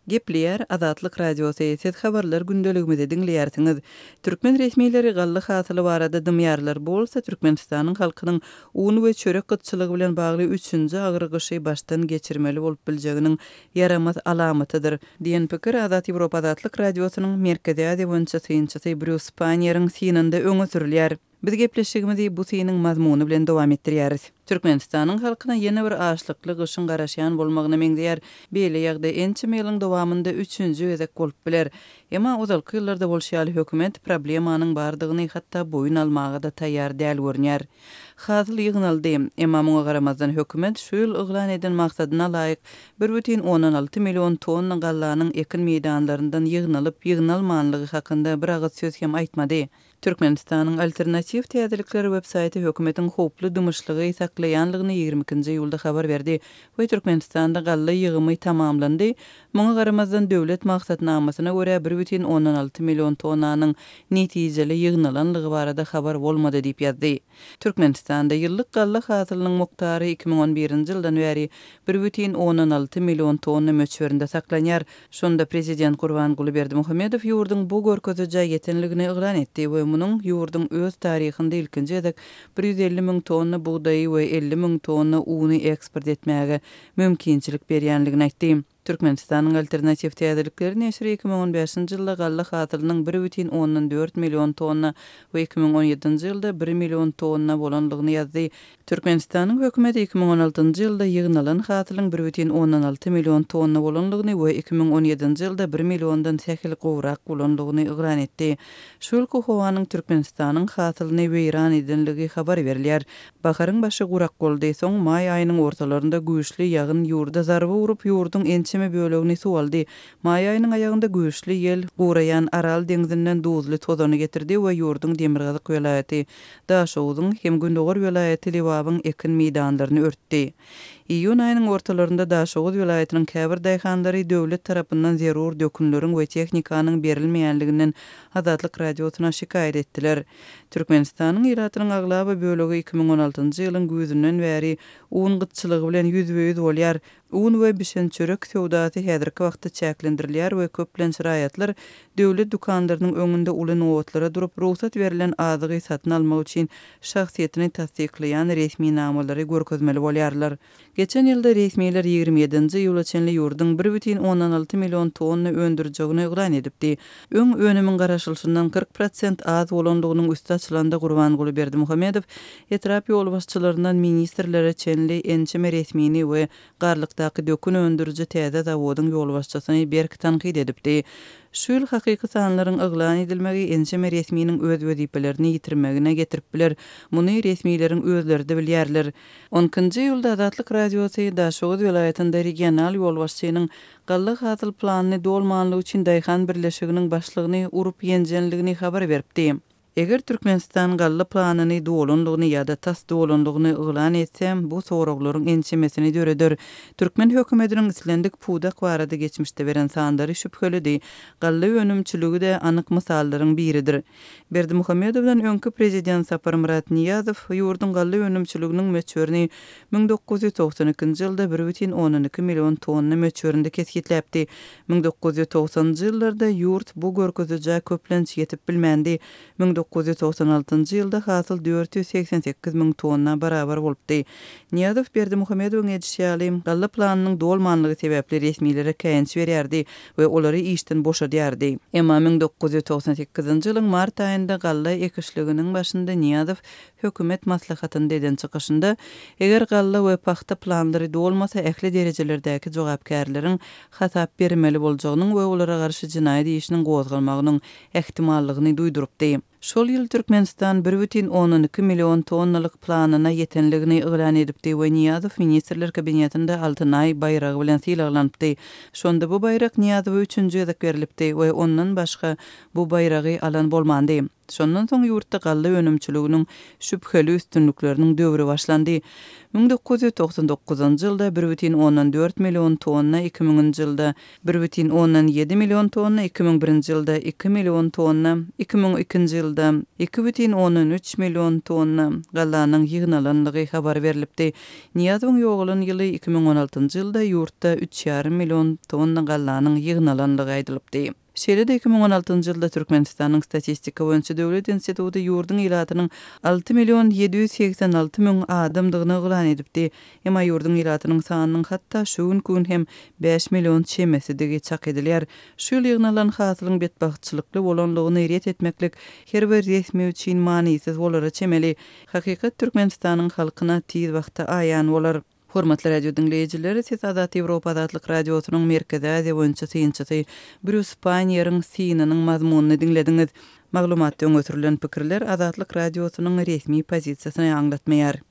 Gepleýär Azatlyk Radiosy, Siz habarlar gündeligimizi diňleýärsiňiz. Türkmen resmileri galla hasyly barada dymýarlar, bu bolsa Türkmenistanyň halkynyň un we çörek gytçylygy bilen bagly üçünji agyr gyşy başdan geçirmeli bolup biljeginiň ýaramaz alamatydyr, diýen pikir Azat Ýewropa Azatlyk Radiosynyň Merkezi Aziýa boýunça synçysy Brýus Panniýeriň synynda öňe sürülýär. Biz gepleşigimizi bu synyň mazmuny bilen dowam etdirýäris. Türkmenistanyň halkyna ýene bir açlykly gyşyň garaşýan bolmagyna meňzeýär. Beýle ýagdaý ençeme ýylyň dowamynda üçünji gezek bolup biler. Emma ozalky ýyllarda bolşy ýaly hökümet problemanyň bardygyny hatda boýun almaga-da taýýar däl görünýär. Hasyl ýygnaldy. Emma muňa garamazdan hökümet şu ýyl yglan eden maksadyna laýyk 1,6 million tonna gallanyň ekin meýdanlaryndan ýygnalyp ýygnalmanlygy hakynda bir agyz söz hem aýtmady. Türkmenistanyň Alternatiw täzelikler websaýty hökümetiň howply dymyşlygy saklaýanlygyny 22-nji iýulda habar berdi we Türkmenistanda galla ýygymy tamamlandy, muňa garamazdan döwlet maksatnamasyna görä 1,6 million tonnanyň netijeli ýygnalanlygy barada habar bolmady diýip ýazdy. Türkmenistanda ýyllyk galla hasylynyň mukdary 2011-nji ýyldan bäri 1,6 million tonna möçberinde saklanýar. Şonda prezident Gurbanguly Berdimuhamedow ýurduň bu görkezijä ýetenligini yglan etdi we munuň ýurduň öz taryhynda ilkinji gezek 150 müň tonna bugdaýy we 50 müň tonna uny eksport etmäge mümkinçilik berýänligini aýtdy. Türkmenistanyň Alternatiw täzelikleri neşiri 2015-nji ýylda galla hasylynyň 1,4 million tonna we 2017-nji ýylda bir million tonna bolanlygyny ýazdy. Türkmenistanyň hökümeti 2016-njy ýylda ýygnalan hasylyň 1,6 million tonna bolandygyny we 2017-nji ýylda bir milliondan sähel gowrak bolandygyny yglan etdi. Şu ýylky howanyň Türkmenistanyň hasylyny weýran edenligi habar berilýär. Baharyň başy gurak boldy, soň maý aýynyň ortalarynda güýçli ýagyn ýurda zarba urup, ýurduň ençeme bölegini suw aldy. Maý aýynyň aýagynda güýçli ýel guraýan Aral deňzinden duzly tozany getirdi we ýurduň demirgazyk welaýaty Daşoguzyň hem gündogar welaýaty Lebabyň ekin meýdanlaryny örtdi. Iýun aýynyň ortalarynda Daşoguz welaýatynyň käbir daýhanlary döwlet tarapyndan zerur dökünleriň we tehnikanyň berilmeýänliginden Azatlyk Radiosyna şikaýat etdiler. Türkmenistanyň ilatynyň aglaba bölegi 2016-njy ýylyň güýzünden bäri un gytçylygy bilen ýüzbe-ýüz bolýar. Un we bişen çörek söwdasy häzirki wagtda çäklendirilýär we köplenç raýatlar döwlet dükanlarynyň öňünde uly nobatlara durup, rugsat berlen azygy satyn almak üçin şahsyýetini tassyklaýan resminamalary görkezmeli bolýarlar. Geçen ýylda resmiler 27-nji iýula çenli ýurduň 1,6 million tonna öndürjegini yglan edipdi. Öň önümiň garaşylyşyndan 40 prosent az bolandygynyň üsti açylanda Gurbanguly Berdimuhamedow Etrap ýolbaşçylaryndan ministrlere çenli ençeme resmini we Garlykdaky dökün öndüriji täze zawodyň ýolbaşçysyny berk tankyt edipdi. Şu ýyl hakyky sanlaryň yglan edilmegi ençeme resminiň öz wezipelerini ýitirmegine getirip biler. Muny resmileriň özleri-de bilýärler. On ikinji iýulda Azatlyk Radiosy Daşoguz welaýatynda regional ýolbaşçynyň galla hasyl planyny dolmanlygy üçin daýhan birleşiginiň başlygyny urup-ýenjenligini habar beripdi. Eger Türkmenistan galla planyny dolanlygyny ýa-da tas dolanlygyny yglan etse, bu soraglaryň ençemesini döreder. Türkmen hökümetiniň islendik pudak barada geçmişde beren sanlary şübhelidi. Galla önümçiligi-de anyk mysallaryň biridir. Berdimuhamedowdan öňki prezident Saparmyrat Nyýazow ýurduň galla önümçiliginiň möçberini 1992-nji ýylda 1,2 million tonna möçberinde kesgitläpdi. 1990-njy ýyllarda ýurt bu görkezijä köplenç ýetip bilmändi. 1996-njy ýylda hasyl 488 müň tonna barabar bolupdy. Nyýazow Berdimuhamedowyň edişi ýaly, galla planynyň dolmanlygy sebäpli resmilere käýinç berýärdi we olary işden boşadýardy. Emma 1998-nji ýylyň mart aýynda galla ekişliginiň başynda Nyýazow hökümet maslahatynda eden çykyşynda, eger galla we pagta planlary dolmasa ähli derejelerdäki jogapkärleriň hasap bermeli boljagynyň we olara garşy jenaýat işiniň gozgalmagynyň ähtimallygyny duýdurypdy. Şol ýyl Türkmenistan 1,2 million tonnalyk planyna ýetenligini yglan edipdi we Nyýazow Ministrler Kabinetinde Altyn Aý baýragy bilen sylaglanypdy. Şonda bu baýrak Nyýazowa üçünji gezek berlipdi we ondan başga bu baýragy alan bolmandy. Şondan soň ýurtda galla önümçiliginiň şübheli üstünlikleriniň döwri başlandy. 1999-njy ýylda bir bütin ondan dört million tonna, iki müňünji ýylda bir bütin ondan ýedi million tonna, 2001-nji ýylda iki million tonna, 2002-nji ýylda iki bütin ondan üç million tonna gallanyň ýygnalandygy habar berlipdi. Nyýazowyň ýogalan ýyly 2016-njy ýylda ýurtda üç ýarym million tonna gallanyň ýygnalandygy aýdylypdy. Şeýle-de 2016-njy ýylda Türkmenistanyň Statistika boýunça döwlet instituty ýurduň ilatynyň 6 million 786 müň adamdygyny yglan edipdi. Emma ýurduň ilatynyň sanynyň hatda şu günki gün hem bäş million çemesidigi çak edilýär. Şu ýyl ýygnalan hasylyň betbagtçylykly bolanlygyny ret etmeklik her bir resmi üçin manysyz bolara çemeli. Hakykat Türkmenistanyň halkyna tiz wagtda aýan bolar. Hormatly radio diňleýjiler, siz Azat Ýewropa Azatlyk Radiosynyň Merkezi Aziýa boýunça synçysy Brýus Panniýeriň synynyň mazmunyny diňlediňiz. Maglumatda öňe sürlen pikirler Azatlyk Radiosynyň resmi pozisiýasyny aňlatmaýar.